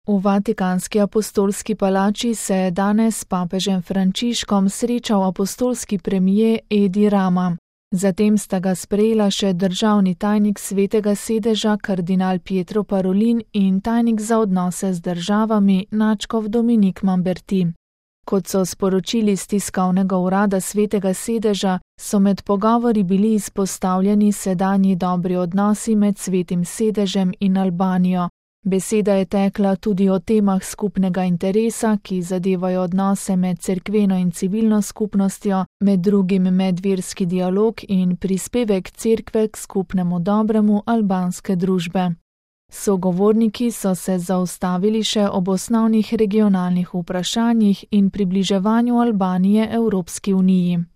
V Vatikanski apostolski palači se je danes s papežem Frančiškom srečal apostolski premier Edi Rama. Zatem sta ga sprejela še državni tajnik Svetega sedeža kardinal Pietro Parolin in tajnik za odnose z državami nadškof Dominik Mamberti. Kot so sporočili z tiskovnega urada Svetega sedeža, so med pogovori bili izpostavljeni sedanji dobri odnosi med Svetim sedežem in Albanijo. Beseda je tekla tudi o temah skupnega interesa, ki zadevajo odnose med cerkveno in civilno skupnostjo, med drugim medverski dialog in prispevek cerkve k skupnemu dobremu albanske družbe. Sogovorniki so se zaustavili še ob osnovnih regionalnih vprašanjih in približevanju Albanije Evropski uniji.